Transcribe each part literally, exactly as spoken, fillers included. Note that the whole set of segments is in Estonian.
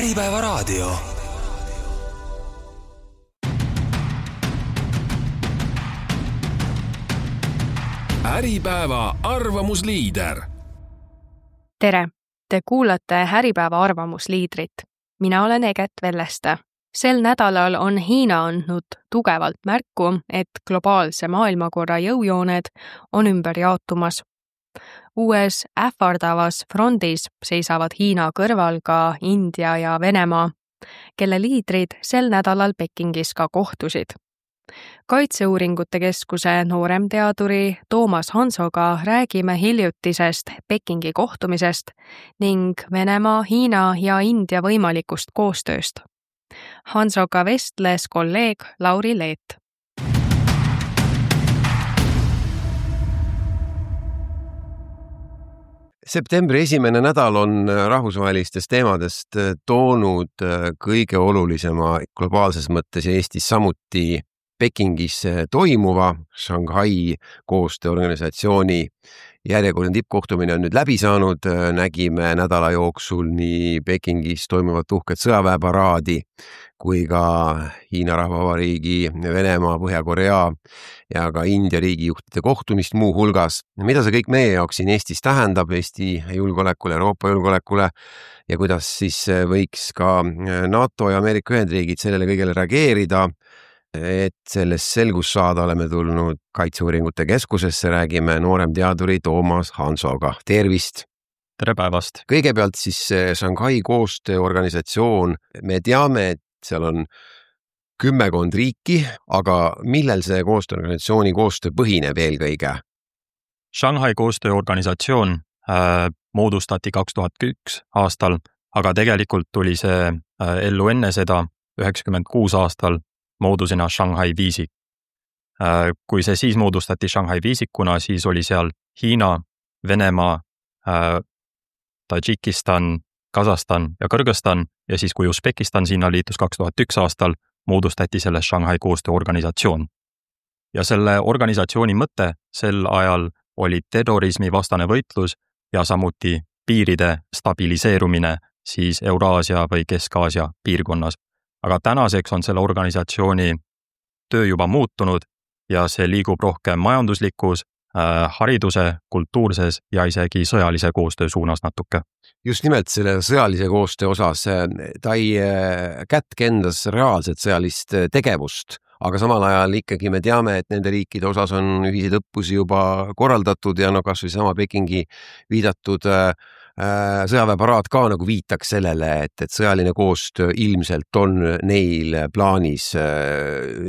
Äripäevaraadio. Äripäeva arvamusliider. Tere! Te kuulate Äripäeva arvamusliidrit. Mina olen Eget Velleste. Sel nädalal on Hiina andnud tugevalt märku, et globaalse maailmakorra jõujooned on ümber jaotumas. Uues ähvardavas frondis seisavad Hiina kõrval ka India ja Venemaa, kelle liidrid sel nädalal Pekingis ka kohtusid. Kaitseuuringute keskuse nooremteaduri Toomas Hansoga räägime hiljutisest Pekingi kohtumisest ning Venemaa, Hiina ja India võimalikust koostööst. Hansoga vestles kolleeg Lauri Leet. Septembri esimene nädal on rahvusvahelistest teemadest toonud kõige olulisema globaalses mõttes ja Eestis samuti Pekingis toimuva Shanghai koostööorganisatsiooni järjekordne tippkohtumine on nüüd läbi saanud. Nägime nädala jooksul nii Pekingis toimuvat uhket sõjaväeparaadi kui ka Hiina Rahvavabariigi, Venemaa, Põhja-Korea ja ka India riigijuhtide kohtumist muu hulgas. Mida see kõik meie jaoks siin Eestis tähendab, Eesti julgeolekule, Euroopa julgeolekule ja kuidas siis võiks ka NATO ja Ameerika Ühendriigid sellele kõigele reageerida? Et sellest selgus saada, oleme tulnud Kaitseuuringute keskusesse, räägime nooremteaduri Toomas Hansoga. Tervist! Tere päevast! Kõigepealt siis Shanghai koostööorganisatsioon. Me teame, et seal on kümmekond riiki, aga millel see koostööorganisatsiooni koostöö põhineb eelkõige? Shanghai koostööorganisatsioon äh, moodustati kaks tuhat üks aastal, aga tegelikult tuli see äh, ellu enne seda üheksakümmend kuus aastal moodusena Shanghai viisik. Kui see siis moodustati Shanghai viisikuna, siis oli seal Hiina, Venemaa, Tadžikistan, Kasahstan ja Kõrgõzstan ja siis kui Usbekistan sinna liitus kaks tuhat üks aastal, moodustati selle Shanghai koostööorganisatsioon. Ja selle organisatsiooni mõte sel ajal oli terrorismi vastane võitlus ja samuti piiride stabiliseerumine siis Euraasia või Kesk-Aasia piirkonnas. Aga tänaseks on selle organisatsiooni töö juba muutunud ja see liigub rohkem majanduslikus, äh, hariduse, kultuurses ja isegi sõjalise koostöö suunas natuke. Just nimelt selle sõjalise koostöö osas, ta ei kätke endas reaalset sõjalist tegevust, aga samal ajal ikkagi me teame, et nende riikide osas on ühiseid õppusi juba korraldatud ja no kas või sama Pekingi viidatud sõjaväeparaad ka nagu viitaks sellele, et, et sõjaline koostöö ilmselt on neil plaanis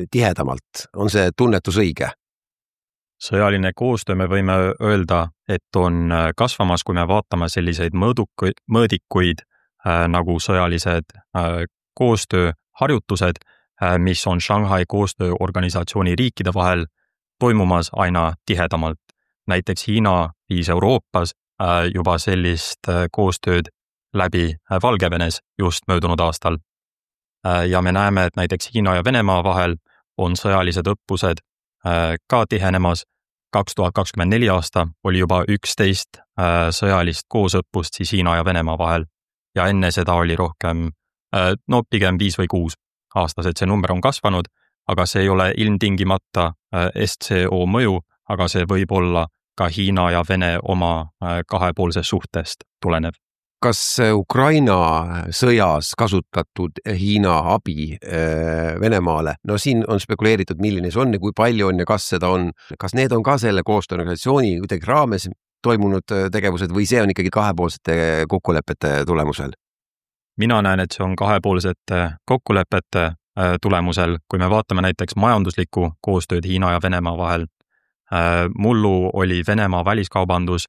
tihedamalt. On see tunnetus õige? Sõjaline koostöö me võime öelda, et on kasvamas, kui me vaatame selliseid mõõdukuid, mõõdikuid äh, nagu sõjalised äh, koostööharjutused, äh, mis on Shanghai koostööorganisatsiooni riikide vahel toimumas aina tihedamalt. Näiteks Hiina viis Euroopas juba sellist koostööd läbi Valgevenes just möödunud aastal. Ja me näeme, et näiteks Hiina ja Venemaa vahel on sõjalised õppused ka tihenemas. kaks tuhat kakskümmend neli aasta oli juba üksteist sõjalist koosõppust siis Hiina ja Venemaa vahel. Ja enne seda oli rohkem, no pigem viis või kuus aastased. See number on kasvanud, aga see ei ole ilmtingimata S C O mõju, aga see võib olla ka Hiina ja Vene oma kahepoolsest suhtest tulenev. Kas Ukraina sõjas kasutatud Hiina abi Venemaale, no siin on spekuleeritud, milline see on ja kui palju on ja kas seda on, kas need on ka selle koostööorganisatsiooni kuidagi raames toimunud tegevused või see on ikkagi kahepoolsete kokkulepete tulemusel? Mina näen, et see on kahepoolsete kokkulepete tulemusel, kui me vaatame näiteks majanduslikku koostööd Hiina ja Venemaa vahel. Mullu oli Venemaa väliskaubandus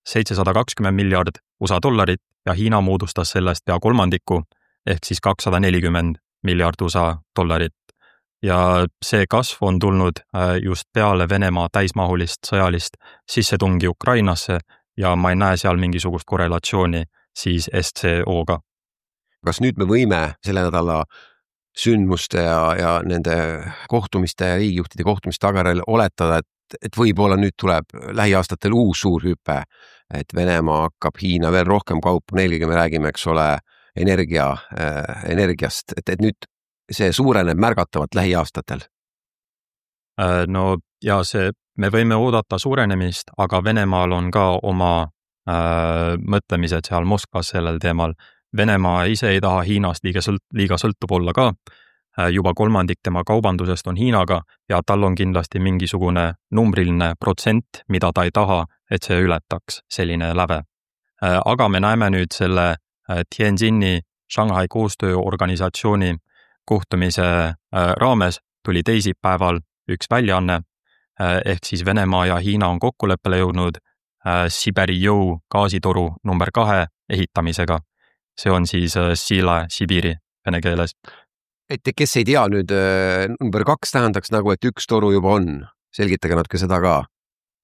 seitsesada kakskümmend miljard U S A dollarit ja Hiina moodustas sellest pea kolmandiku ehk siis kakssada nelikümmend miljard U S A dollarit. Ja see kasv on tulnud just peale Venemaa täismahulist sõjalist sissetungi Ukrainasse ja ma ei näe seal mingisugust korrelatsiooni siis S C O-ga. Kas nüüd me võime selle nädala sündmuste ja, ja nende kohtumiste ja riigijuhtide kohtumiste tagajärjel oletada, et et võib-olla nüüd tuleb lähiaastatel uus suur hüpe, et Venemaa hakkab Hiina veel rohkem kaupu, eelkõige me räägime, eks ole, energia, energiast, et, et nüüd see suureneb märgatavalt lähiaastatel? No ja see, me võime oodata suurenemist, aga Venemaal on ka oma äh, mõtlemised seal Moskvas sellel teemal. Venemaa ise ei taha Hiinast liiga, sõlt, liiga sõltub olla ka. Juba kolmandik tema kaubandusest on Hiinaga ja tal on kindlasti mingisugune numbriline protsent, mida ta ei taha, et see ületaks selline läve. Aga me näeme nüüd selle Tianjini Shanghai koostööorganisatsiooni kohtumise raames tuli teisipäeval üks väljaanne, ehk siis Venemaa ja Hiina on kokkuleppele jõudnud Siberi jõu gaasitoru number kahe ehitamisega. See on siis Sila Sibiri vene keeles. Et kes ei tea nüüd, number kaks tähendaks nagu, et üks toru juba on. Selgitage natuke seda ka.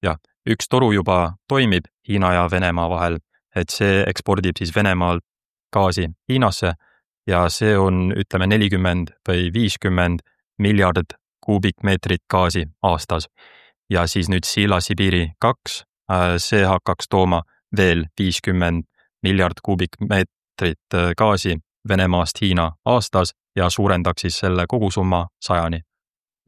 Ja, üks toru juba toimib Hiina ja Venemaa vahel, et see ekspordib siis Venemaalt gaasi Hiinasse ja see on, ütleme, nelikümmend või viiskümmend miljard kuubikmeetrit gaasi aastas. Ja siis nüüd Sila Sibiri kaks, see hakkaks tooma veel viiskümmend miljard kuubikmeetrit gaasi Venemaast Hiina aastas ja suurendaks siis selle kogusumma sajani.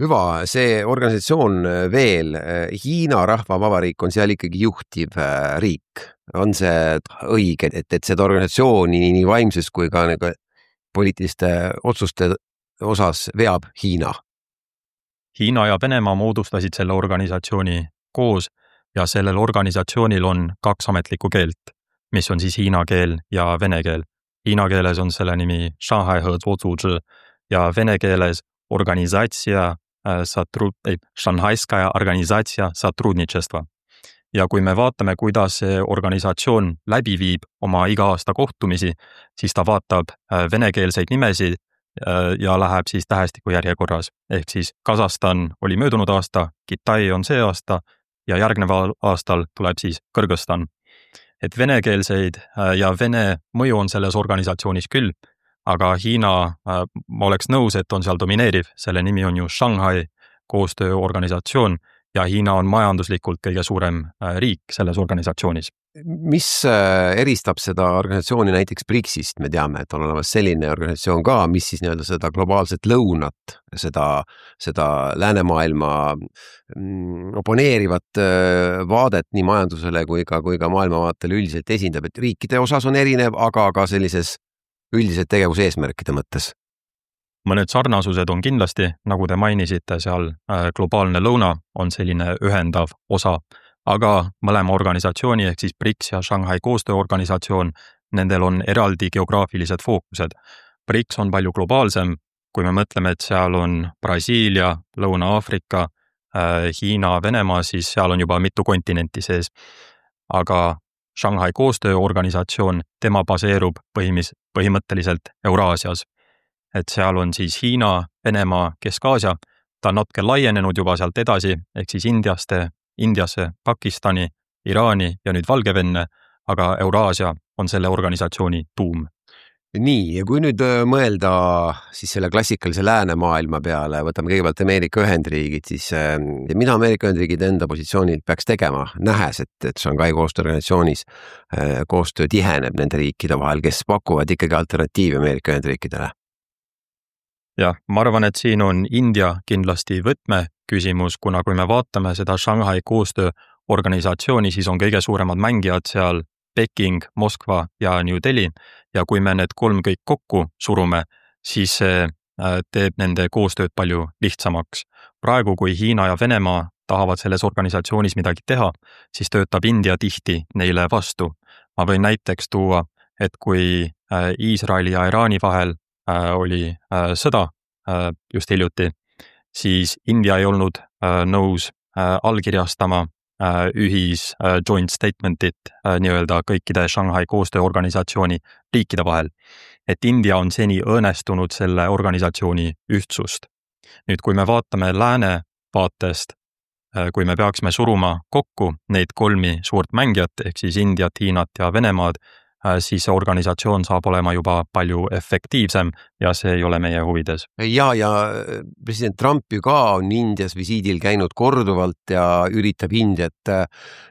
Hüva, see organisatsioon veel, Hiina Rahvavabariik on seal ikkagi juhtiv riik. On see õige, et, et seda organisatsiooni nii vaimses kui ka nagu poliitiliste otsuste osas veab Hiina? Hiina ja Venemaa moodustasid selle organisatsiooni koos ja sellel organisatsioonil on kaks ametlikku keelt, mis on siis hiina keel ja vene keel. Hiina keeles on selle nimi Shanghai Hezuozuzhi ja vene keeles organisatsia satrud, ei, Shanghaiskaya organisatsia satrudnichestva. Ja kui me vaatame, kuidas see organisatsioon läbi viib oma iga aasta kohtumisi, siis ta vaatab venekeelseid nimesid ja läheb siis tähestiku järjekorras. Ehk siis Kasahstan oli möödunud aasta, Kitai on see aasta ja järgneval aastal tuleb siis Kõrgõzstan. Et venekeelseid ja vene mõju on selles organisatsioonis küll, aga Hiina, ma oleks nõus, et on seal domineeriv, selle nimi on ju Shanghai koostööorganisatsioon ja Hiina on majanduslikult kõige suurem riik selles organisatsioonis. Mis eristab seda organisatsiooni näiteks BRICSist? Me teame, et on olemas selline organisatsioon ka, mis siis nii-öelda seda globaalset lõunat, seda, seda läänemaailma oponeerivat vaadet nii majandusele kui ka, kui ka maailmavaatele üldiselt esindab, et riikide osas on erinev, aga ka sellises üldiselt tegevuseesmärkide mõttes. Mõned sarnasused on kindlasti, nagu te mainisite, seal globaalne lõuna on selline ühendav osa, aga mõlema organisatsiooni ehk siis BRICS ja Shanghai koostööorganisatsioon, nendel on eraldi geograafilised fookused. BRICS on palju globaalsem, kui me mõtleme, et seal on Brasiilia, Lõuna-Aafrika, Hiina, Venemaa, siis seal on juba mitu kontinenti sees. Aga Shanghai koostööorganisatsioon, tema baseerub põhimis, põhimõtteliselt Euraasias. Et seal on siis Hiina, Venemaa, Kesk-Aasia, ta on natuke laienenud juba sealt edasi, ehk siis Indiaste, Indiasse, Pakistani, Iraani ja nüüd Valgevenne, aga Euraasia on selle organisatsiooni tuum. Nii, ja kui nüüd mõelda siis selle klassikalise läänemaailma peale, võtame kõigepealt Ameerika Ühendriigid, siis mida Ameerika Ühendriigid enda positsioonil peaks tegema, nähes, et, et Shanghai koostööorganisatsioonis koostöö tiheneb nende riikide vahel, kes pakuvad ikkagi alternatiivi Ameerika Ühendriikidele? Ja, ma arvan, et siin on India kindlasti võtme küsimus, kuna kui me vaatame seda Shanghai koostööorganisatsiooni, siis on kõige suuremad mängijad seal Peking, Moskva ja New Delhi ja kui me need kolm kõik kokku surume, siis see teeb nende koostööd palju lihtsamaks. Praegu, kui Hiina ja Venemaa tahavad selles organisatsioonis midagi teha, siis töötab India tihti neile vastu. Ma võin näiteks tuua, et kui Iisraeli ja Iraani vahel oli sõda just hiljuti, siis India ei olnud nõus allkirjastama ühis joint statementit nii-öelda kõikide Shanghai koostööorganisatsiooni riikide vahel. Et India on seni õõnestunud selle organisatsiooni ühtsust. Nüüd, kui me vaatame lääne vaatest, kui me peaksime suruma kokku neid kolmi suurt mängijat, ehk siis Indiat, Hiinat ja Venemaad, siis see organisatsioon saab olema juba palju efektiivsem ja see ei ole meie huvides. Ja, ja president Trump ju ka on Indias visiidil käinud korduvalt ja üritab Indiat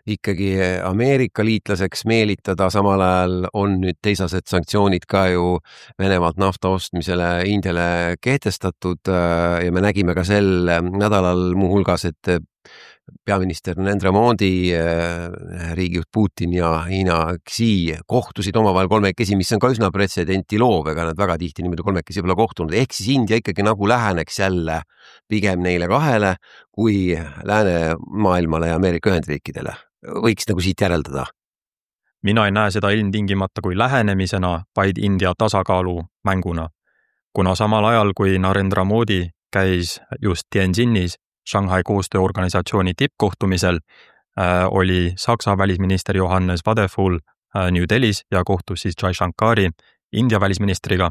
ikkagi Ameerika liitlaseks meelitada, samal ajal on nüüd teisased sanktsioonid ka ju Venemaalt nafta ostmisele Indiale kehtestatud ja me nägime ka sel nädalal muuhulgas, et peaminister Narendra Modi, riigijuht Putin ja Hiina Xi kohtusid omavahel kolmekesi, mis on ka üsna pretsedenti loov, ega nad väga tihti niimoodi kolmekesi pole kohtunud. Ehk siis India ikkagi nagu läheneks jälle pigem neile kahele kui läänemaailmale ja Ameerika Ühendriikidele. Võiks nagu siit järeldada. Mina ei näe seda ilmtingimata kui lähenemisena, vaid India tasakaalu mänguna. Kuna samal ajal, kui Narendra Modi käis just Tianjinis Shanghai koostööorganisatsiooni tippkohtumisel, äh, oli Saksa välisminister Johannes Vadeful äh, New Delhis ja kohtus siis Jai Shankari India välisministriga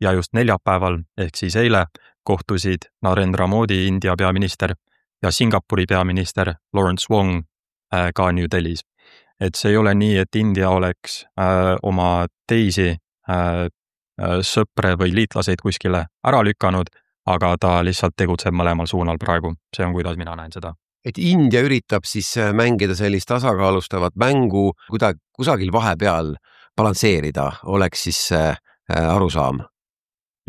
ja just neljapäeval ehk siis eile kohtusid Narendra Modi India peaminister ja Singapuri peaminister Lawrence Wong äh, ka New Delhis. Et see ei ole nii, et India oleks äh, oma teisi äh, sõpre või liitlaseid kuskile ära lükanud, aga ta lihtsalt tegutseb mõlemal suunal praegu. See on, kuidas mina näen seda. Et India üritab siis mängida sellist tasakaalustavat mängu, kuda- kusagil vahepeal balansseerida, oleks siis arusaam.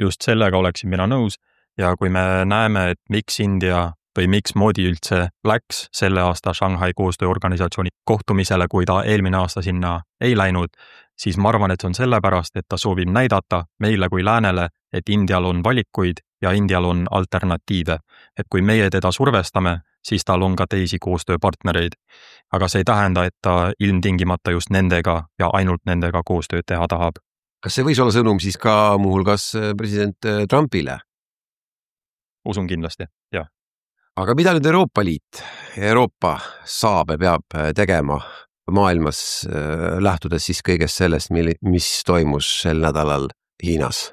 Just sellega oleksin mina nõus ja kui me näeme, et miks India või miks Modi üldse läks selle aasta Shanghai koostööorganisatsiooni kohtumisele, kui ta eelmine aasta sinna ei läinud, siis ma arvan, et see on sellepärast, et ta soovib näidata meile kui läänele, et Indial on valikuid ja Indial on alternatiive. Et kui meie teda survestame, siis tal on ka teisi koostööpartnereid. Aga see ei tähenda, et ta ilmtingimata just nendega ja ainult nendega koostööd teha tahab. Kas see võis olla sõnum siis ka muuhulgas president Trumpile? Usun kindlasti, jah. Aga mida nüüd Euroopa Liit, Euroopa saab ja peab tegema maailmas, lähtudes siis kõigest sellest, mis toimus sel nädalal Hiinas?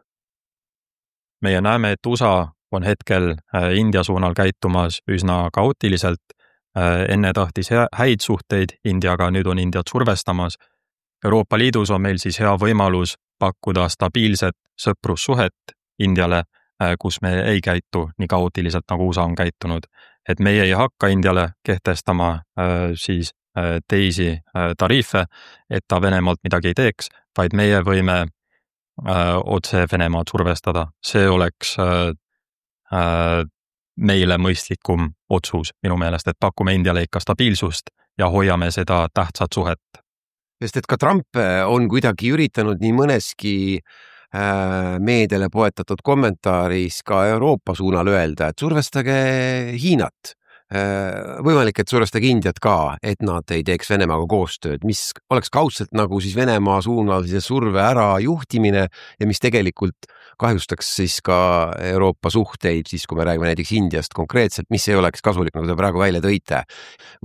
Meie näeme, et U S A on hetkel India suunal käitumas üsna kaootiliselt. Enne tahtis häid suhteid Indiaga, nüüd on Indiat survestamas. Euroopa Liidus on meil siis hea võimalus pakkuda stabiilset sõprussuhet Indiale, kus me ei käitu nii kaootiliselt, nagu U S A on käitunud. Et meie ei hakka Indiale kehtestama siis teisi tariife, et ta Venemaalt midagi ei teeks, vaid meie võime otse Venemaad survestada. See oleks meile mõistlikum otsus minu meelest, et pakume Indiale ikka stabiilsust ja hoiame seda tähtsat suhet. Sest et ka Trump on kuidagi üritanud nii mõneski meediale poetatud kommentaaris ka Euroopa suunal öelda, et survestage Hiinat. Võimalik, et survestage Indiat ka, et nad ei teeks Venemaaga koostööd, mis oleks kaudselt nagu siis Venemaa suunal siis surve ära juhtimine ja mis tegelikult kahjustaks siis ka Euroopa suhteid, siis kui me räägime näiteks Indiast konkreetselt, mis ei oleks kasulik, nagu te praegu välja tõite.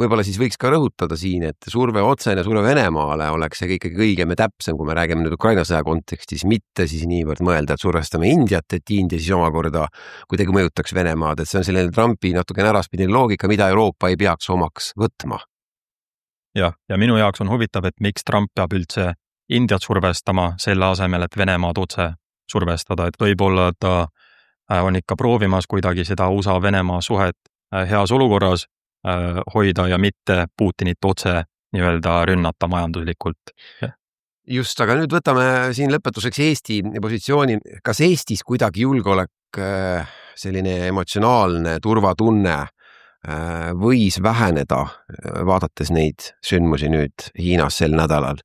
Võib-olla siis võiks ka rõhutada siin, et surve otsene surve Venemaale oleks see ikkagi õigem ja täpsem, kui me räägime nüüd Ukraina sõja kontekstis, mitte siis niivõrd mõelda, et survestame Indiat, et India siis omakorda kuidagi mõjutaks Venemaad, et see on selline Trumpi natuke äraspidine loogika, mida Euroopa ei peaks omaks võtma. Jah, ja minu jaoks on huvitav, et miks Trump peab üldse Indiat survestama selle asemel, et Venemaad otse survestada, et võib-olla ta on ikka proovimas kuidagi seda U S A-Venemaa suhet heas olukorras hoida ja mitte Putinit otse nii-öelda rünnata majanduslikult. Just, aga nüüd võtame siin lõpetuseks Eesti positsiooni. Kas Eestis kuidagi julgeolek, selline emotsionaalne turvatunne võis väheneda, vaadates neid sündmusi nüüd Hiinas sel nädalal?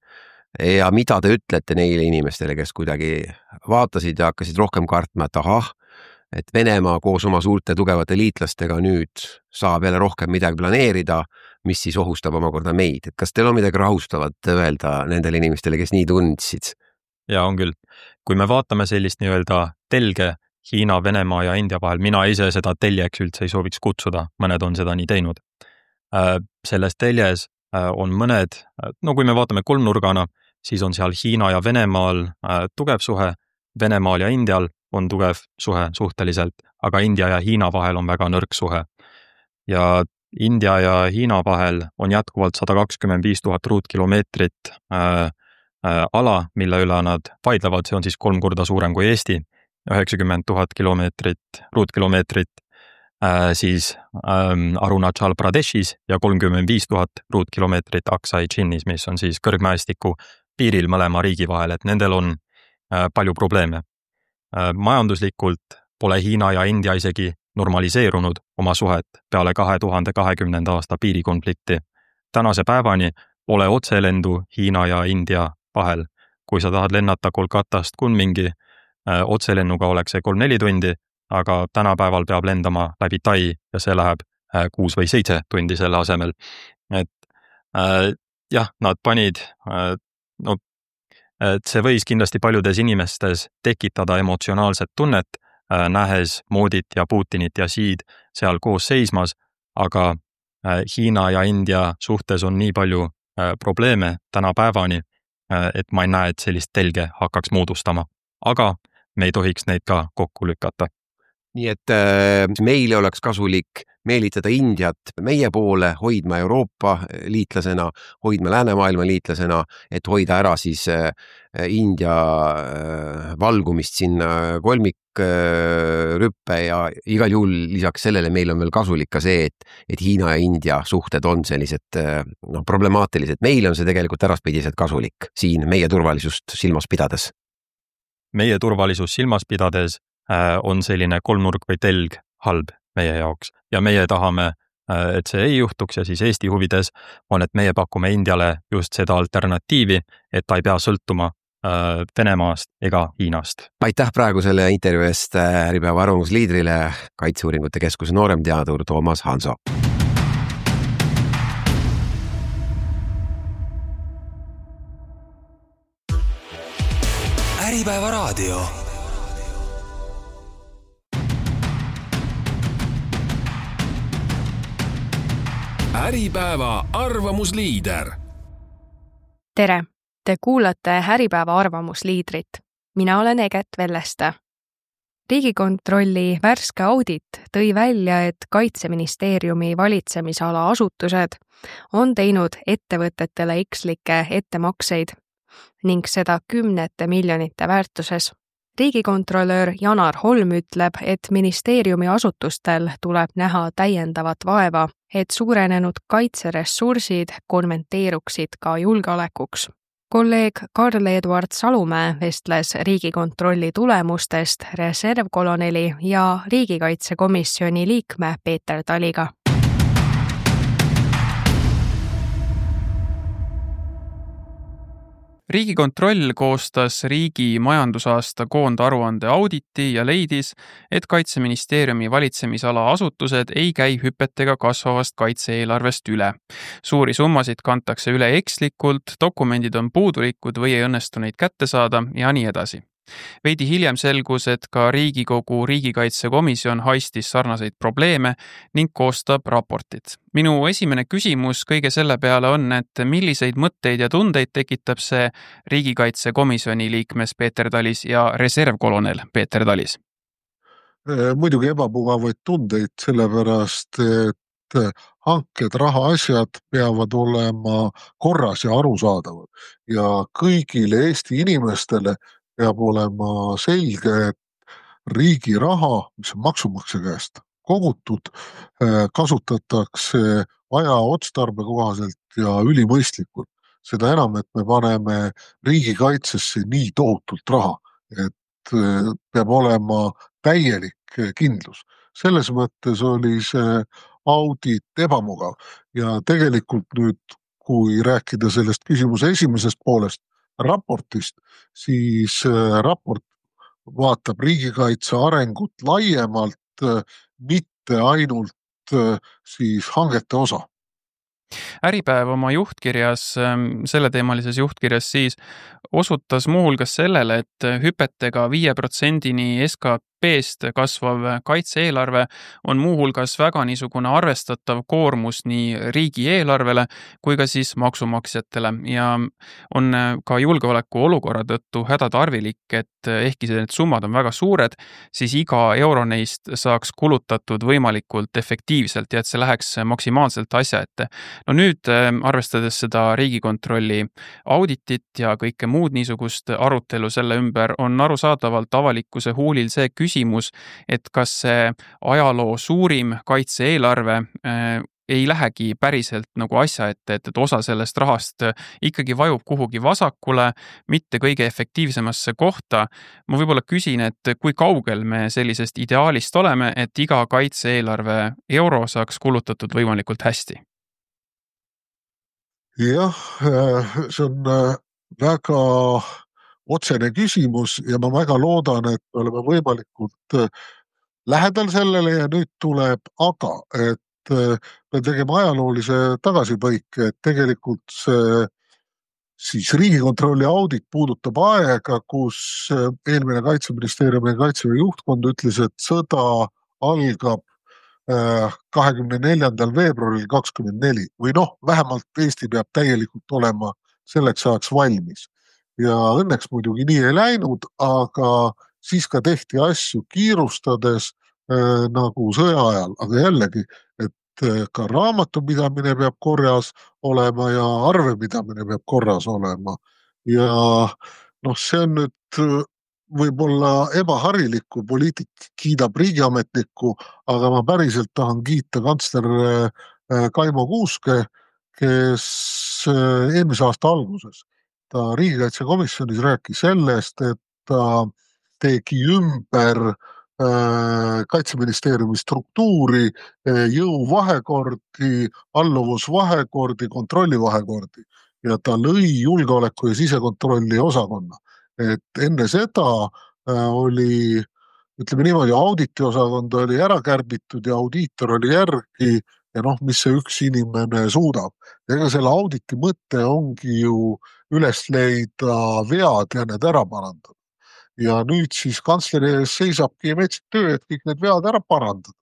Ja mida te ütlete neile inimestele, kes kuidagi vaatasid ja hakkasid rohkem kartma, et ahah, et Venemaa koos oma suurte tugevate liitlastega nüüd saab jälle rohkem midagi planeerida, mis siis ohustab omakorda meid. Et kas teil on midagi rahustavat öelda nendele inimestele, kes nii tundsid? Ja on küll. Kui me vaatame sellist nii-öelda telge Hiina, Venemaa ja India vahel, mina ise seda teljeks üldse ei sooviks kutsuda, mõned on seda nii teinud. Selles teljes on mõned, no kui me vaatame kolmnurgana, siis on seal Hiina ja Venemaal tugev suhe, Venemaal ja Indial on tugev suhe suhteliselt, aga India ja Hiina vahel on väga nõrk suhe. Ja India ja Hiina vahel on jätkuvalt sada kakskümmend viis tuhat ruutkilomeetrit ala, mille üle nad vaidlevad, see on siis kolm korda suurem kui Eesti, üheksakümmend tuhat kilomeetrit, ruutkilomeetrit, siis Arunachal Pradeshis ja kolmkümmend viis tuhat ruutkilomeetrit Aksai Chinis, mis on siis kõrgmäestiku piiril mõlema riigi vahel, et nendel on palju probleeme. Majanduslikult pole Hiina ja India isegi normaliseerunud oma suhet peale kahe tuhande kahekümnenda aasta piirikonflikti. Tänase päevani pole otselendu Hiina ja India vahel. Kui sa tahad lennata Kolkatast Kunmingi, otselennuga oleks see kolm-neli tundi, aga tänapäeval peab lendama läbi Tai ja see läheb kuus või seitse tundi selle asemel. Et äh, jah, nad panid, äh, no, et see võis kindlasti paljudes inimestes tekitada emotsionaalset tunnet, äh, nähes Modit ja Putinit ja Xi'd seal koos seismas, aga äh, Hiina ja India suhtes on nii palju äh, probleeme tänapäevani, äh, et ma ei näe, et sellist telge hakkaks moodustama. Aga me ei tohiks neid ka kokku lükata. Nii et äh, meile oleks kasulik meelitada Indiat meie poole, hoidma Euroopa liitlasena, hoidma läänemaailma liitlasena, et hoida ära siis äh, India äh, valgumist sinna kolmikrüppe ja igal juhul lisaks sellele meil on veel kasulik ka see, et, et Hiina ja India suhted on sellised äh, no, problemaatilised. Meile on see tegelikult äraspidiselt kasulik siin meie turvalisust silmas pidades. Meie turvalisus silmas pidades on selline kolmnurk või telg halb meie jaoks ja meie tahame, et see ei juhtuks ja siis Eesti huvides on, et meie pakume Indiale just seda alternatiivi, et ta ei pea sõltuma Venemaast ega Hiinast. Aitäh praegu selle intervjuu eest Äripäeva arvamusliidrile, Kaitseuuringute Keskuse nooremteadur Toomas Hanso. Äripäeva raadio. Äripäeva arvamusliider. Tere, te kuulate Äripäeva arvamusliidrit. Mina olen Eget Velleste. Riigikontrolli värske audit tõi välja, et Kaitseministeeriumi valitsemisala asutused on teinud ettevõtetele ekslikke ettemakseid ning seda kümnete miljonite väärtuses. Riigikontrolör Janar Holm ütleb, et ministeeriumi asutustel tuleb näha täiendavat vaeva, et suurenenud kaitseressursid konventeeruksid ka julgeolekuks. Kolleeg Karl-Eduard Salumäe vestles Riigikontrolli tulemustest reservkoloneli ja riigikaitsekomisjoni liikme Peeter Taliga. Riigikontroll koostas riigi majandusaasta koondaruande auditi ja leidis, et Kaitseministeeriumi valitsemisala asutused ei käi hüpetega kasvavast kaitse-eelarvest üle. Suuri summasid kantakse üle ekslikult, dokumendid on puudulikud või ei õnnestu neid kätte saada ja nii edasi. Veidi hiljem selgus, et ka Riigikogu riigikaitsekomisjon haistis sarnaseid probleeme ning koostab raportit. Minu esimene küsimus kõige selle peale on, et milliseid mõtteid ja tundeid tekitab see riigikaitsekomisjoni liikmes Peeter Talis ja reservkolonel Peeter Talis? Muidugi ebamugavaid tundeid, sellepärast, et hanked, rahaasjad peavad olema korras ja arusaadavad ja kõigile Eesti inimestele peab olema selge, et riigi raha, mis on maksumaksja käest kogutud, kasutatakse aja otstarbe kohaselt ja ülimõistlikult. Seda enam, et me paneme riigikaitsesse nii tohutult raha, et peab olema täielik kindlus. Selles mõttes oli see audit ebamugav ja tegelikult nüüd, kui rääkida sellest küsimuse esimesest poolest, raportist, siis raport vaatab riigikaitse arengut laiemalt, mitte ainult siis hangete osa. Äripäev oma juhtkirjas, selleteemalises juhtkirjas siis osutas muuhulgas sellele, et hüpetega viie protsendini S K P-st kasvav kaitse-eelarve on muuhulgas väga niisugune arvestatav koormus nii riigieelarvele kui ka siis maksumaksjatele ja on ka julgeoleku olukorra tõttu hädatarvilik, et ehkki need summad on väga suured, siis iga euro neist saaks kulutatud võimalikult efektiivselt ja et see läheks maksimaalselt asja ette. No nüüd, arvestades seda Riigikontrolli auditit ja kõike muud niisugust arutelu selle ümber, on arusaadavalt avalikkuse huulil see küsimus, et kas see ajaloo suurim kaitse-eelarve äh, ei lähegi päriselt nagu asja ette, et, et osa sellest rahast ikkagi vajub kuhugi vasakule, mitte kõige efektiivsemasse kohta. Ma võib-olla küsin, et kui kaugel me sellisest ideaalist oleme, et iga kaitse-eelarve euro saaks kulutatud võimalikult hästi? Jah, see on väga otsene küsimus ja ma väga loodan, et me oleme võimalikult lähedal sellele ja nüüd tuleb aga, et me tegema ajaloolise tagasipõike, et tegelikult see siis Riigikontrolli audit puudutab aega, kus eelmine Kaitseministeeriumi ja Kaitseväe juhtkond ütles, et sõda algab kahekümne neljandal veebruaril kakskümmend neli või noh, vähemalt Eesti peab täielikult olema selleks ajaks valmis. Ja õnneks muidugi nii ei läinud, aga siis ka tehti asju kiirustades äh, nagu sõja ajal, aga jällegi, et ka raamatupidamine peab korras olema ja arvepidamine peab korras olema. Ja noh, see on nüüd võib-olla ebaharilikku, poliitik kiidab riigiametnikku, aga ma päriselt tahan kiita kantsler Kaimo Kuuske, kes eelmise aasta alguses ta riigikaitsekomisjonis rääkis sellest, et ta tegi ümber Kaitseministeeriumi struktuuri, jõuvahekordi, alluvusvahekordi, kontrollivahekordi ja ta lõi julgeoleku ja sisekontrolli osakonna. Et enne seda oli, ütleme niimoodi, auditiosakond oli ära kärbitud ja audiitor oli järgi ja noh, mis see üks inimene suudab. Ega selle auditi mõte ongi ju üles leida vead ja need ära parandada. Ja nüüd siis kantsleri ees seisabki metsik töö, et kõik need vead ära parandada.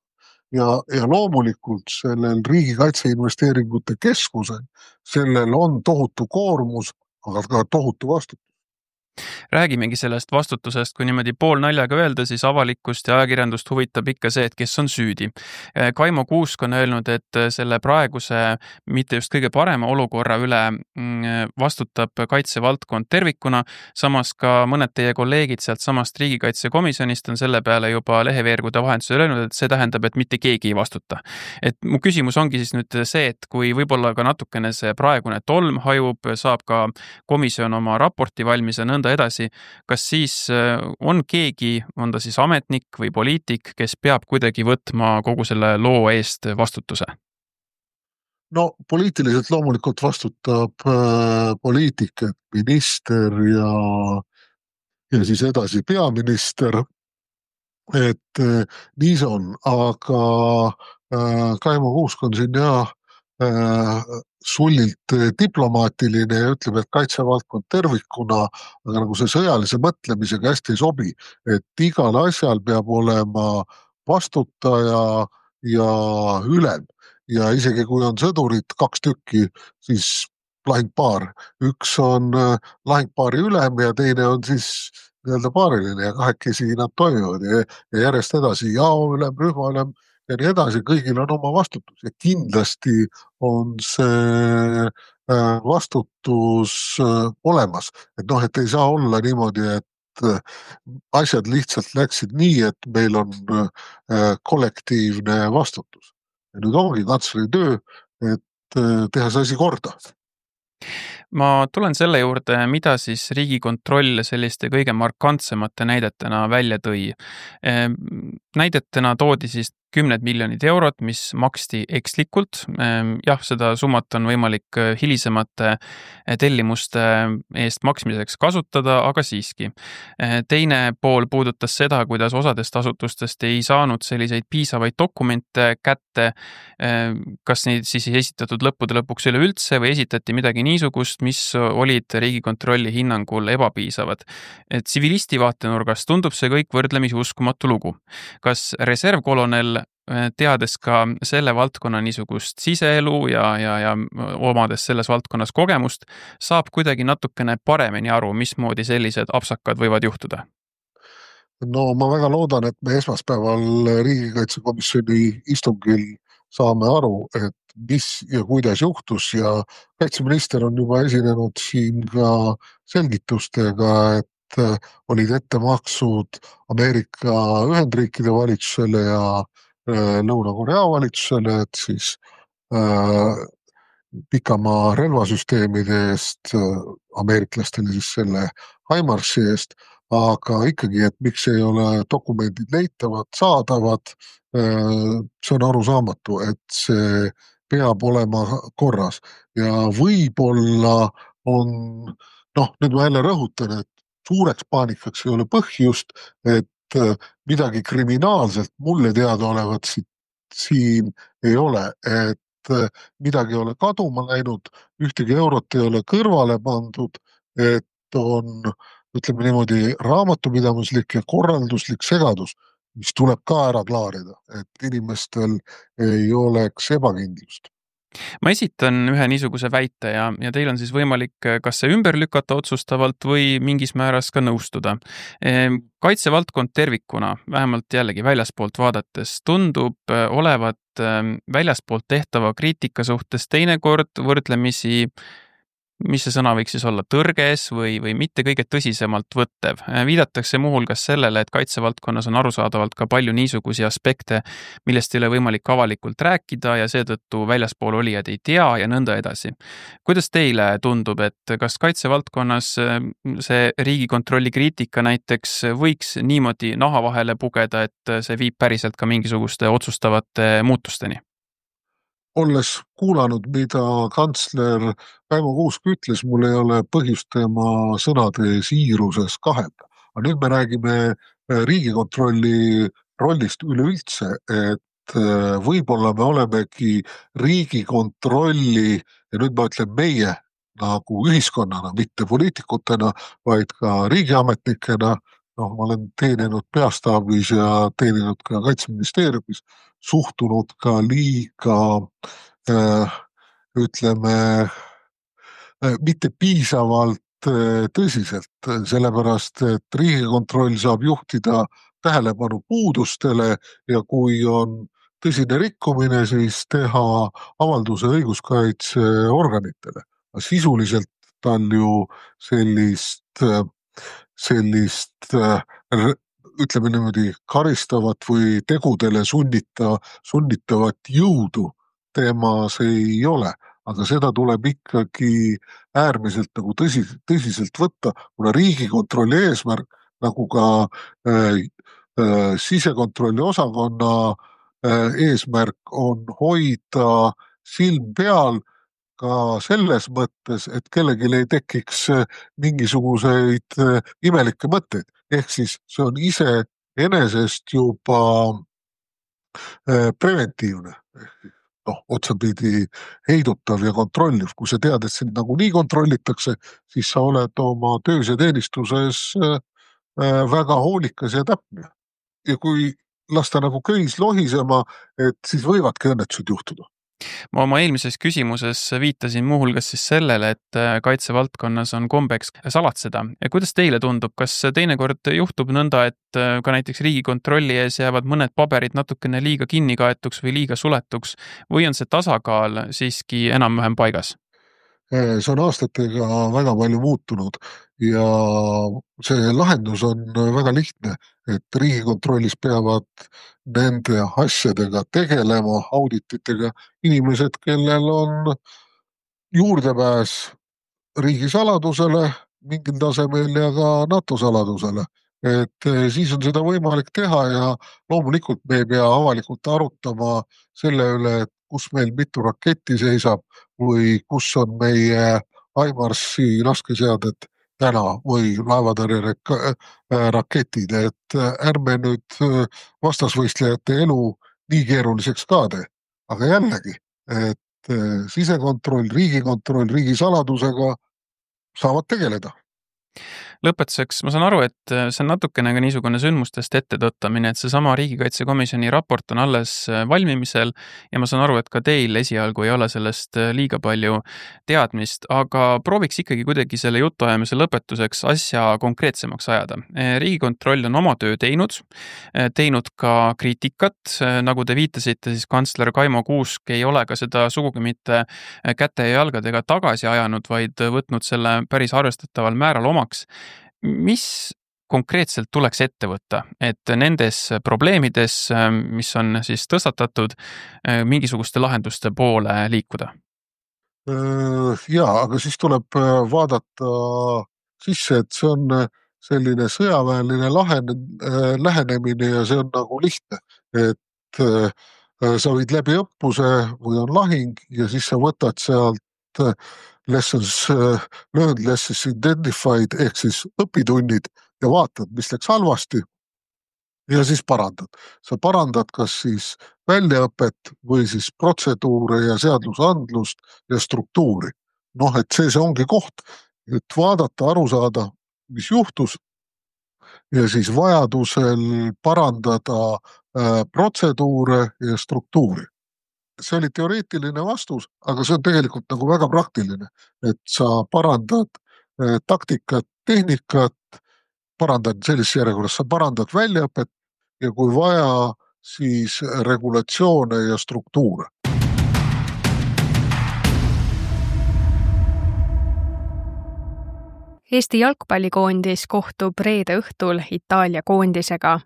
Ja, ja loomulikult sellel riigikaitseinvesteeringute keskusel, sellel on tohutu koormus, aga ka tohutu vastutus. Räägimegi sellest vastutusest, kui niimoodi pool naljaga öelda, siis avalikkust ja ajakirjandust huvitab ikka see, et kes on süüdi. Kaimo Kuusk on öelnud, et selle praeguse, mitte just kõige parema olukorra üle vastutab kaitsevaldkond tervikuna, samas ka mõned teie kolleegid sealt samast riigikaitsekomisjonist on selle peale juba leheveergude vahendusel öelnud, et see tähendab, et mitte keegi ei vastuta. Et mu küsimus ongi siis nüüd see, et kui võib-olla ka natukene see praegune tolm hajub, saab ka komisjon oma raporti valmis ja nõnda edasi, kas siis on keegi, on ta siis ametnik või poliitik, kes peab kuidagi võtma kogu selle loo eest vastutuse? No poliitiliselt loomulikult vastutab äh, poliitik, et minister ja, ja siis edasi peaminister, et äh, nii see on, aga äh, Kaimo Kuusk on siin jah äh, sullilt diplomaatiline ja ütleb, et kaitsevaldkond tervikuna, aga nagu see sõjalise mõtlemisega hästi ei sobi, et igal asjal peab olema vastutaja ja ülem. Ja isegi kui on sõdurid kaks tükki, siis lahingpaar. Üks on lahingpaari ülem ja teine on siis nii-öelda paariline ja kahekesi nad toimivad ja, ja järjest edasi jao ülem, rühma ülem ja nii edasi, kõigil on oma vastutus ja kindlasti on see vastutus olemas. Et noh, et ei saa olla niimoodi, et asjad lihtsalt läksid nii, et meil on kollektiivne vastutus. Ja nüüd ongi kantsleri töö, et teha see asi korda. Ma tulen selle juurde, mida siis Riigikontroll selliste kõige markantsemate näidetena välja tõi. näidetena toodi siis kümned miljonid eurot, mis maksti ekslikult. Jah, seda summat on võimalik hilisemate tellimuste eest maksmiseks kasutada, aga siiski. Teine pool puudutas seda, kuidas osadest asutustest ei saanud selliseid piisavaid dokumente kätte, kas neid siis ei esitatud lõppude lõpuks üleüldse või esitati midagi niisugust, mis olid Riigikontrolli hinnangul ebapiisavad. Et tsivilisti vaatenurgast tundub see kõik võrdlemisi uskumatu lugu. Kas reservkolonel, teades ka selle valdkonna niisugust siseelu ja, ja, ja omades selles valdkonnas kogemust, saab kuidagi natukene paremini aru, mismoodi sellised apsakad võivad juhtuda? No ma väga loodan, et me esmaspäeval riigikaitsekomisjoni istungil saame aru, et mis ja kuidas juhtus ja kaitseminister on juba esinenud siin ka selgitustega, et olid ettemaksud Ameerika Ühendriikide valitsusele ja Lõuna-Korea valitsusele, et siis äh, pikamaa relvasüsteemide eest, ameeriklastele siis selle HIMARS-i eest, aga ikkagi, et miks ei ole dokumendid leitavad, saadavad, äh, see on arusaamatu, et see peab olema korras ja võib-olla on, noh, nüüd ma jälle rõhutan, et suureks paanikaks ei ole põhjust, et midagi kriminaalselt mulle teada olevat siin, siin ei ole, et midagi ei ole kaduma läinud, ühtegi eurot ei ole kõrvale pandud, et on, ütleme niimoodi, raamatupidamislik ja korralduslik segadus, mis tuleb ka ära klaarida, et inimestel ei oleks ebakindlust. Ma esitan ühe niisuguse väite ja, ja teil on siis võimalik kas see ümber lükata otsustavalt või mingis määras ka nõustuda. Kaitsevaldkond tervikuna, vähemalt jällegi väljaspoolt vaadates, tundub olevat väljaspoolt tehtava kriitika suhtes teinekord võrdlemisi, mis see sõna võiks siis olla, tõrges või, või mitte kõige tõsisemalt võttev. Viidatakse muuhulgas sellele, et kaitsevaldkonnas on arusaadavalt ka palju niisugusi aspekte, millest ei ole võimalik avalikult rääkida ja seetõttu väljaspool olijad ei tea ja nõnda edasi. Kuidas teile tundub, et kas kaitsevaldkonnas see Riigikontrolli kriitika näiteks võiks niimoodi naha vahele pugeda, et see viib päriselt ka mingisuguste otsustavate muutusteni? Olles kuulanud, mida kantsler Väimo Kuusk ütles, mul ei ole põhjust tema sõnade siiruses kahelda. Aga nüüd me räägime Riigikontrolli rollist üleüldse, et võib-olla me olemegi Riigikontrolli, ja nüüd ma ütlen meie nagu ühiskonnana, mitte poliitikutena, vaid ka riigiametnikena, noh, ma olen teeninud peastaabis ja teeninud ka Kaitseministeeriumis, suhtunud ka liiga, äh, ütleme, äh, mitte piisavalt äh, tõsiselt, sellepärast, et Riigikontroll saab juhtida tähelepanu puudustele ja kui on tõsine rikkumine, siis teha avalduse õiguskaitseorganitele. Sisuliselt tal ju sellist, sellist ütleme niimoodi karistavat või tegudele sunnita, sunnitavat jõudu teemas ei ole, aga seda tuleb ikkagi äärmiselt nagu tõsi, tõsiselt võtta, kuna Riigikontrolli eesmärk, nagu ka äh, äh, sisekontrolli osakonna äh, eesmärk on hoida silm peal ka selles mõttes, et kellelgi ei tekiks mingisuguseid imelikke mõtteid. Ehk siis see on ise enesest juba preventiivne, noh, otsapidi heidutav ja kontrolliv. Kui sa tead, et sind nagu nii kontrollitakse, siis sa oled oma töös ja teenistuses väga hoolikas ja täpne. Ja kui lasta nagu köis lohisema, et siis võivadki õnnetused juhtuda. Ma oma eelmises küsimuses viitasin muuhulgas siis sellele, et kaitsevaldkonnas on kombeks salatseda. Ja kuidas teile tundub, kas teinekord juhtub nõnda, et ka näiteks Riigikontrolli ees jäävad mõned paberid natukene liiga kinni kaetuks või liiga suletuks või on see tasakaal siiski enam-vähem paigas? See on aastatega väga palju muutunud ja see lahendus on väga lihtne, et Riigikontrollis peavad nende asjadega tegelema, audititega inimesed, kellel on juurdepääs riigisaladusele mingil tasemel ja ka NATO saladusele. et siis on seda võimalik teha ja loomulikult me ei pea avalikult arutama selle üle, et kus meil mitu raketti seisab või kus on meie HIMARS-i laskeseadet täna või laevatõrje raketid, et ärme nüüd vastasvõistlejate elu nii keeruliseks ka tee. Aga jällegi, et sisekontroll, riigikontroll, riigisaladusega saavad tegeleda. Lõpetuseks ma saan aru, et see on natukene ka niisugune sündmustest ette tõttamine, et see sama riigikaitsekomisjoni raport on alles valmimisel ja ma saan aru, et ka teil esialgu ei ole sellest liiga palju teadmist, aga prooviks ikkagi kuidagi selle jutuajamise lõpetuseks asja konkreetsemaks ajada. Riigikontroll on oma töö teinud, teinud ka kriitikat, nagu te viitasite, siis kantsler Kaimo Kuusk ei ole ka seda sugugi mitte käte ja jalgadega tagasi ajanud, vaid võtnud selle päris arvestataval määral omaks. Mis konkreetselt tuleks ette võtta, et nendes probleemides, mis on siis tõstatatud, mingisuguste lahenduste poole liikuda? Jaa, aga siis tuleb vaadata sisse, et see on selline sõjaväeline lähenemine ja see on nagu lihtne, et sa võid läbi õppuse või on lahing ja siis sa võtad sealt lessons learned, lessons identified ehk siis õpitunnid ja vaatad, mis läks halvasti ja siis parandad. Sa parandad kas siis väljaõpet või siis protseduure ja seadusandlust ja struktuuri. Noh, et see, see ongi koht, et vaadata, aru saada, mis juhtus ja siis vajadusel parandada protseduure ja struktuuri. See oli teoreetiline vastus, aga see on tegelikult nagu väga praktiline, et sa parandad taktikat, tehnikat, parandad sellises järjekorras, sa parandad väljaõpet ja kui vaja, siis regulatsioone ja struktuure. Eesti jalgpallikoondis kohtub reede õhtul Itaalia koondisega.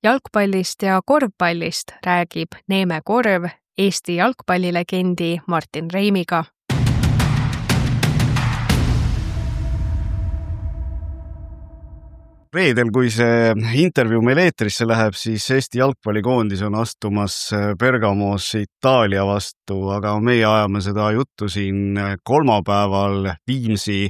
Jalgpallist ja korvpallist räägib Neeme Korv Eesti jalgpallilegendi Martin Reimiga. Reedel, kui see intervjuu meil eetrisse läheb, siis Eesti jalgpallikoondis on astumas Bergamos Itaalia vastu, aga meie ajame seda juttu siin kolmapäeval Viimsi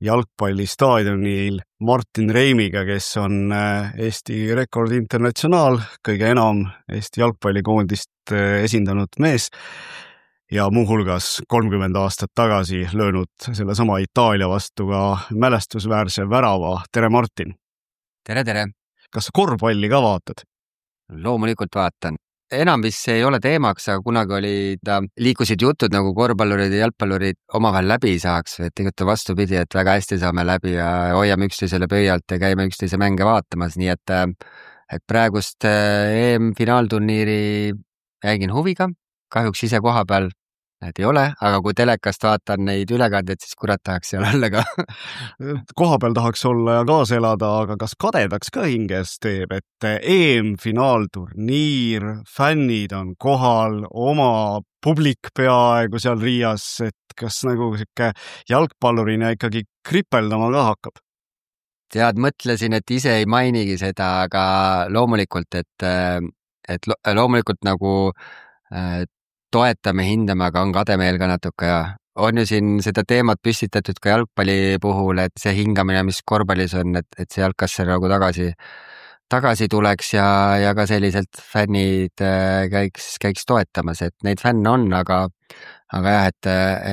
jalgpallistaadionil Martin Reimiga, kes on Eesti Rekord Internatsionaal, kõige enam Eesti jalgpallikoondist esindanud mees ja muuhulgas kolmkümmend aastat tagasi löönud selle sama Itaalia vastu ka mälestusväärse värava. Tere, Martin! Tere, tere! Kas sa korvpalli ka vaatad? Loomulikult vaatan. Enam vist see ei ole teemaks, aga kunagi oli ta, liikusid jutud nagu korvpallurid ja jalgpallurid omavahel läbi saaks, et tegelikult vastupidi, et väga hästi saame läbi ja hoiame üksteisele pöialt ja käime üksteise mänge vaatamas, nii et, et praegust E M-finaalturniiri jäigin huviga, kahjuks ise koha peal need ei ole, aga kui telekast vaatan neid ülekandeid, siis kurat tahaks seal olla ka. Koha peal tahaks olla ja kaasa elada, aga kas kadedaks ka hinges teeb, et E M-finaalturniir, fännid on kohal, oma publik peaaegu seal Riias, et kas nagu siuke jalgpallurina ikkagi kripeldama ka hakkab? Tead, mõtlesin, et ise ei mainigi seda, aga loomulikult, et, et loomulikult nagu toetame, hindame, aga on kademeel ka natuke ja on ju siin seda teemat püstitatud ka jalgpalli puhul, et see hingamine, mis korvpallis on, et, et see jalgkasser nagu tagasi, tagasi tuleks ja, ja ka selliselt fännid käiks, käiks toetamas, et neid fänne on, aga, aga jah, et,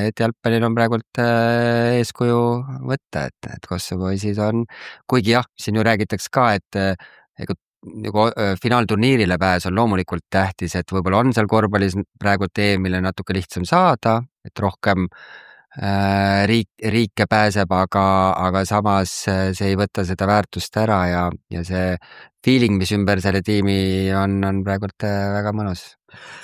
et jalgpallil on praegult eeskuju võtta, et, et Kosovo poisid on, kuigi jah, siin ju räägitakse ka, et ega nagu finaalturniirile pääs on loomulikult tähtis, et võib-olla on seal korvpallis praegu teemile natuke lihtsam saada, et rohkem äh, riik, riike pääseb, aga, aga samas see ei võta seda väärtust ära ja, ja see feeling, mis ümber selle tiimi on, on praegult väga mõnus.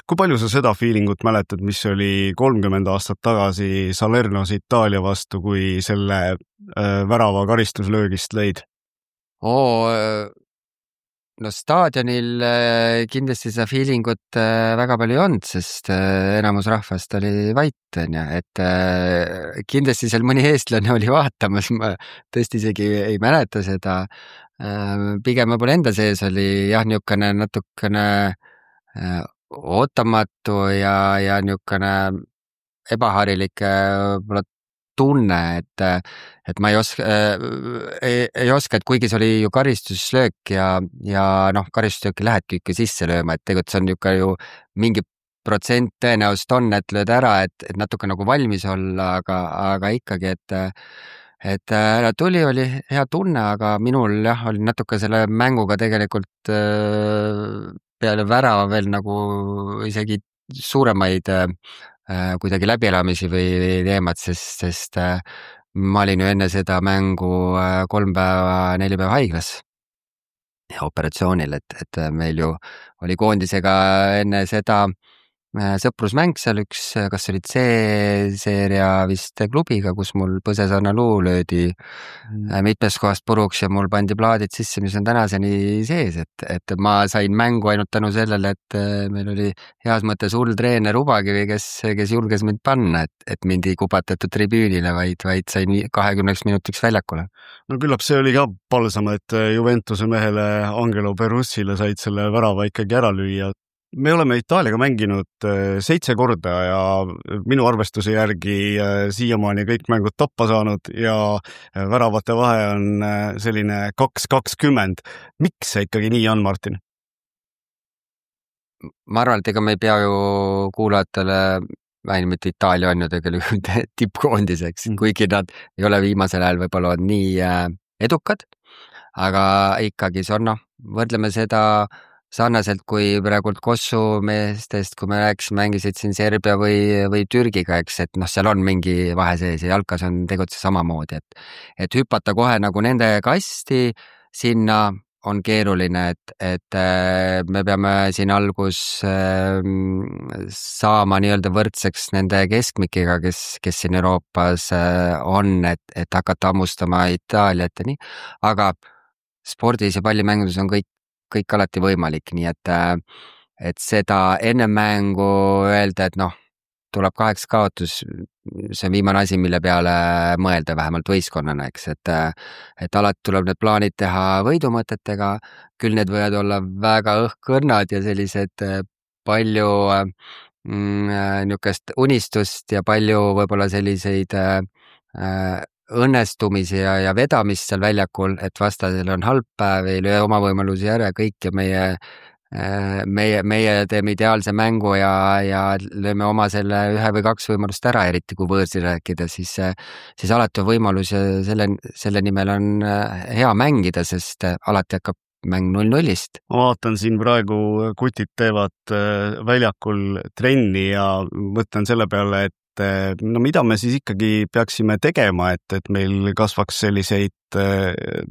Kui palju sa seda feelingut mäletad, mis oli kolmkümmend aastat tagasi Salernos Itaalia vastu, kui selle äh, värava karistuslöögist lõid? Oo, no staadionil kindlasti seda feelingut väga palju ei olnud, sest enamus rahvast oli vait, on ju, et kindlasti seal mõni eestlane oli vaatamas, ma tõesti isegi ei mäleta seda. Pigem võib-olla enda sees oli jah, niisugune natukene ootamatu ja, ja niisugune ebaharilik võib-olla tunne, et, et ma ei oska, ei, ei oska, et kuigi see oli ju karistuslöök ja, ja noh, karistuslööki lähedki ikka sisse lööma, et tegelikult see on niisugune ju mingi protsent tõenäoliselt on, et lööd ära, et, et natuke nagu valmis olla, aga, aga ikkagi, et et ära tuli, oli hea tunne, aga minul jah, oli natuke selle mänguga tegelikult peale värava veel nagu isegi suuremaid kuidagi läbielamisi või, või teemad, sest, sest ma olin ju enne seda mängu kolm päeva, neli päeva haiglas ja operatsioonil, et, et meil ju oli koondisega enne seda sõprusmäng seal üks, kas oli C-seeria vist klubiga, kus mul põsesarna luu löödi mm. mitmest kohast puruks ja mul pandi plaadid sisse, mis on tänaseni sees, et, et ma sain mängu ainult tänu sellele, et meil oli heas mõttes hull treener Ubakivi, kes, kes julges mind panna, et, et mind ei kubatatud tribüünile, vaid, vaid sain kahekümneks minutiks väljakule. No küllap see oli ka palsam, et Juventuse mehele Angelo Perussile said selle värava ikkagi ära lüüa. Me oleme Itaaliaga mänginud seitse korda ja minu arvestuse järgi siiamaani kõik mängud tappa saanud ja väravate vahe on selline kaks kakskümmend. Miks see ikkagi nii on, Martin? Ma arvan, et ega me ei pea ju kuulajatele vähemalt mitte Itaalia on ju tegelikult tippkoondiseks, kuigi nad ei ole viimasel ajal võib-olla nii edukad, aga ikkagi see on, noh, võrdleme seda sarnaselt kui praegult Kossu meestest, kui me rääkisime, mängisid siin Serbia või, või Türgiga, eks, et noh, seal on mingi vahe sees ja jalkas on tegutse samamoodi, et, et hüpata kohe nagu nende kasti sinna on keeruline, et, et me peame siin algus saama nii-öelda võrdseks nende keskmikiga, kes, kes siin Euroopas on, et, et hakata hammustama Itaaliat ja nii, aga spordis ja pallimängudes on kõik kõik alati võimalik, nii et, et seda enne mängu öelda, et noh, tuleb kaheks kaotus, see on viimane asi, mille peale mõelda vähemalt võistkonnana, eks, et, et alati tuleb need plaanid teha võidumõtetega, küll need võivad olla väga õhkõrnad ja sellised palju mm, niisugust unistust ja palju võib-olla selliseid äh, õnnestumisi ja, ja vedamist seal väljakul, et vastasel on halb päev, ei löö oma võimalusi ära kõik ja meie, meie, meie teeme ideaalse mängu ja, ja lööme oma selle ühe või kaks võimalust ära, eriti kui võõrsi rääkida, siis, siis alati on võimalus ja selle, selle nimel on hea mängida, sest alati hakkab mäng null nullist. Ma vaatan siin praegu kutid teevad väljakul trenni ja mõtlen selle peale, et no mida me siis ikkagi peaksime tegema, et, et meil kasvaks selliseid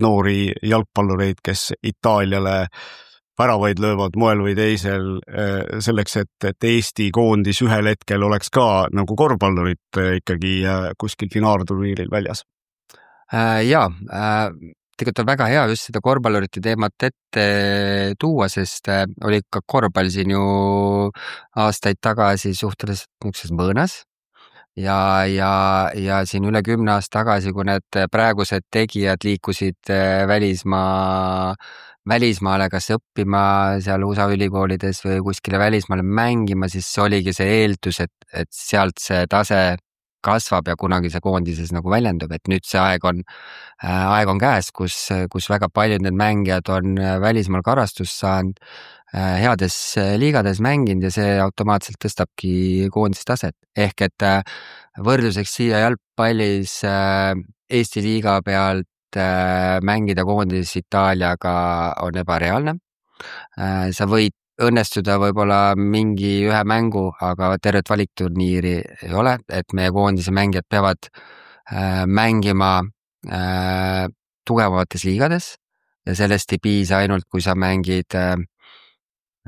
noori jalgpallureid, kes Itaaliale väravaid löövad moel või teisel selleks, et, et Eesti koondis ühel hetkel oleks ka nagu korvpallurid ikkagi kuskil finaalturniiril väljas? Jaa, tegelikult on väga hea just seda korvpallurite teemat ette tuua, sest oli ka korvpall siin ju aastaid tagasi suhteliselt niisuguses mõõnas. Ja, ja, ja siin üle kümne aasta tagasi, kui need praegused tegijad liikusid välismaa, välismaale kas õppima seal U S A ülikoolides või kuskile välismaale mängima, siis oligi see eeldus, et, et sealt see tase kasvab ja kunagi see koondises nagu väljendub, et nüüd see aeg on, aeg on käes, kus, kus väga paljud need mängijad on välismaal karastust saanud, heades liigades mänginud ja see automaatselt tõstabki koondise taset. Ehk et võrdluseks siia jalgpallis Eesti liiga pealt mängida koondis Itaaliaga on ebareaalne. Sa võid õnnestuda võib-olla mingi ühe mängu, aga tervet valikturniiri ei ole, et meie koondise mängijad peavad mängima tugevamates liigades ja sellest ei piisa ainult, kui sa mängid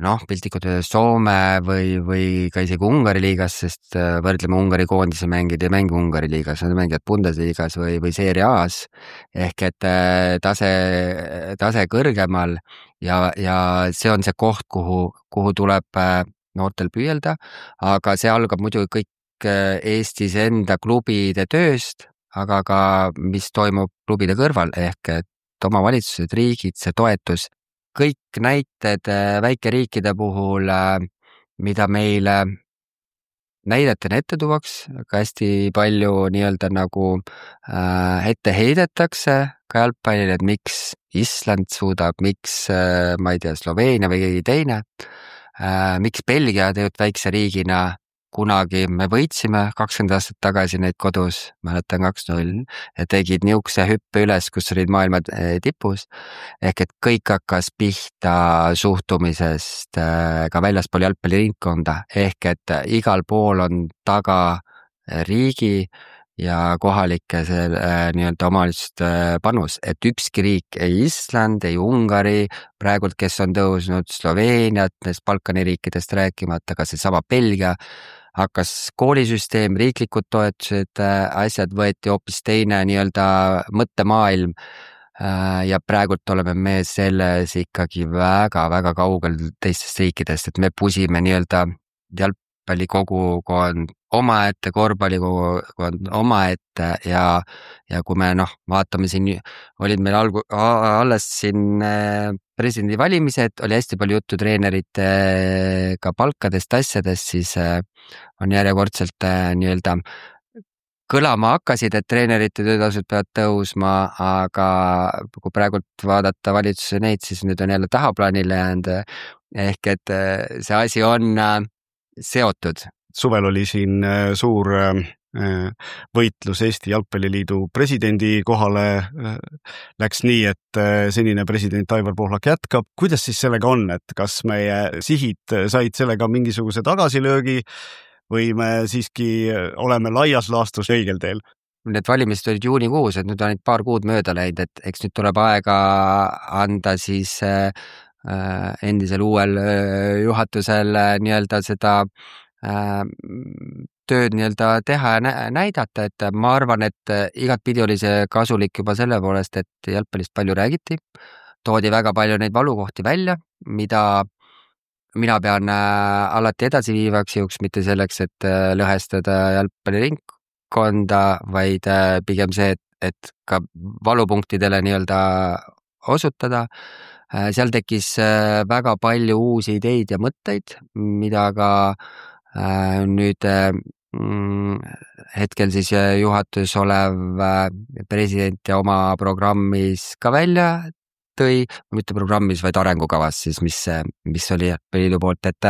noh, piltlikult Soome või, või ka isegi Ungari liigas, sest võrdleme Ungari koondise mängid ja mängi Ungari liigas, nad mängivad Bundesliigas või, või Serie A-s ehk et tase, tase kõrgemal ja, ja see on see koht, kuhu, kuhu tuleb noortel püüelda, aga see algab muidu kõik Eestis enda klubide tööst, aga ka mis toimub klubide kõrval ehk et omavalitsused, riigid, see toetus, kõik näited väikeriikide puhul, mida meile näidetena ette tuuaks, aga hästi palju nii-öelda nagu ette heidetakse ka jalgpallile, et miks Island suudab, miks ma ei tea, Sloveenia või keegi teine, miks Belgia tegelikult väikse riigina kunagi me võitsime kakskümmend aastat tagasi neid kodus, mäletan kaks null, ja tegid niukse hüppe üles, kus olid maailma tipus, ehk et kõik hakkas pihta suhtumisest ka väljaspool jalgpalliringkonda, ehk et igal pool on taga riigi ja kohalike nii-öelda omavalitsuste panus, et ükski riik, ei Island, ei Ungari, praegult, kes on tõusnud Sloveeniat, neist Balkani riikidest rääkimata, ka see sama Belgia, hakkas koolisüsteem, riiklikud toetused, asjad võeti hoopis teine nii-öelda mõttemaailm ja praegult oleme me selles ikkagi väga-väga kaugel teistest riikidest, et me pusime nii-öelda jalgpallikogukond omaette, korvpallikogukond omaette ja, ja kui me noh, vaatame siin, olid meil algu, alles siin presidendi valimised, oli hästi palju juttu treenerite ka palkadest, asjadest, siis on järjekordselt nii-öelda kõlama hakkasid, et treenerite töötasud peavad tõusma, aga kui praegult vaadata valitsuse neid, siis nüüd on jälle tahaplaanile jäänud, ehk et see asi on seotud. Suvel oli siin suur võitlus Eesti Jalgpalliliidu presidendi kohale, läks nii, et senine president Aivar Pohlak jätkab. Kuidas siis sellega on, et kas meie sihid said sellega mingisuguse tagasilöögi või me siiski oleme laias laastus õigel teel? Need valimised olid juunikuus, et nüüd on paar kuud mööda läinud, et eks nüüd tuleb aega anda siis endisel uuel juhatusel nii-öelda seda tööd nii-öelda teha ja näidata, et ma arvan, et igat pidi oli see kasulik juba selle poolest, et jalgpallist palju räägiti, toodi väga palju neid valukohti välja, mida mina pean alati edasi viivaks juhuks, mitte selleks, et lõhestada jalgpalliringkonda, vaid pigem see, et, et ka valupunktidele nii-öelda osutada. Seal tekkis väga palju uusi ideid ja mõtteid, mida ka nüüd hetkel siis juhatus olev president ja oma programmis ka välja tõi, mitte programmis, vaid arengukavas siis, mis, mis oli liidu poolt, et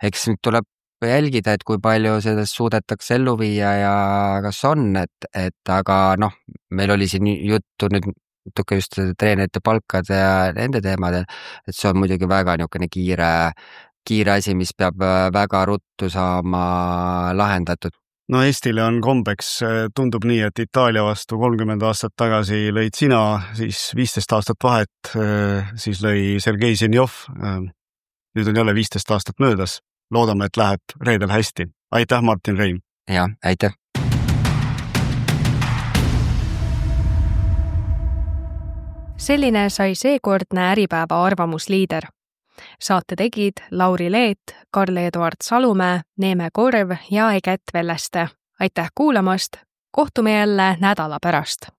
eks nüüd tuleb jälgida, et kui palju sellest suudetakse ellu viia ja kas on, et, et aga noh, meil oli siin juttu nüüd natuke just treenerite palkade ja nende teemadel, et see on muidugi väga niisugune kiire, kiire asi, mis peab väga ruttu saama lahendatud. No Eestile on kombeks, tundub nii, et Itaalia vastu kolmkümmend aastat tagasi lõid sina, siis viisteist aastat vahet, siis lõi Sergei Zenjov. Nüüd on jälle viisteist aastat möödas. Loodame, et läheb reedel hästi. Aitäh, Martin Reim! Ja, aitäh! Selline sai seekordne Äripäeva arvamusliider. Saate tegid Lauri Leet, Karl-Eduard Salumäe, Neeme Korv ja Eget Velleste. Aitäh kuulamast! Kohtume jälle nädala pärast!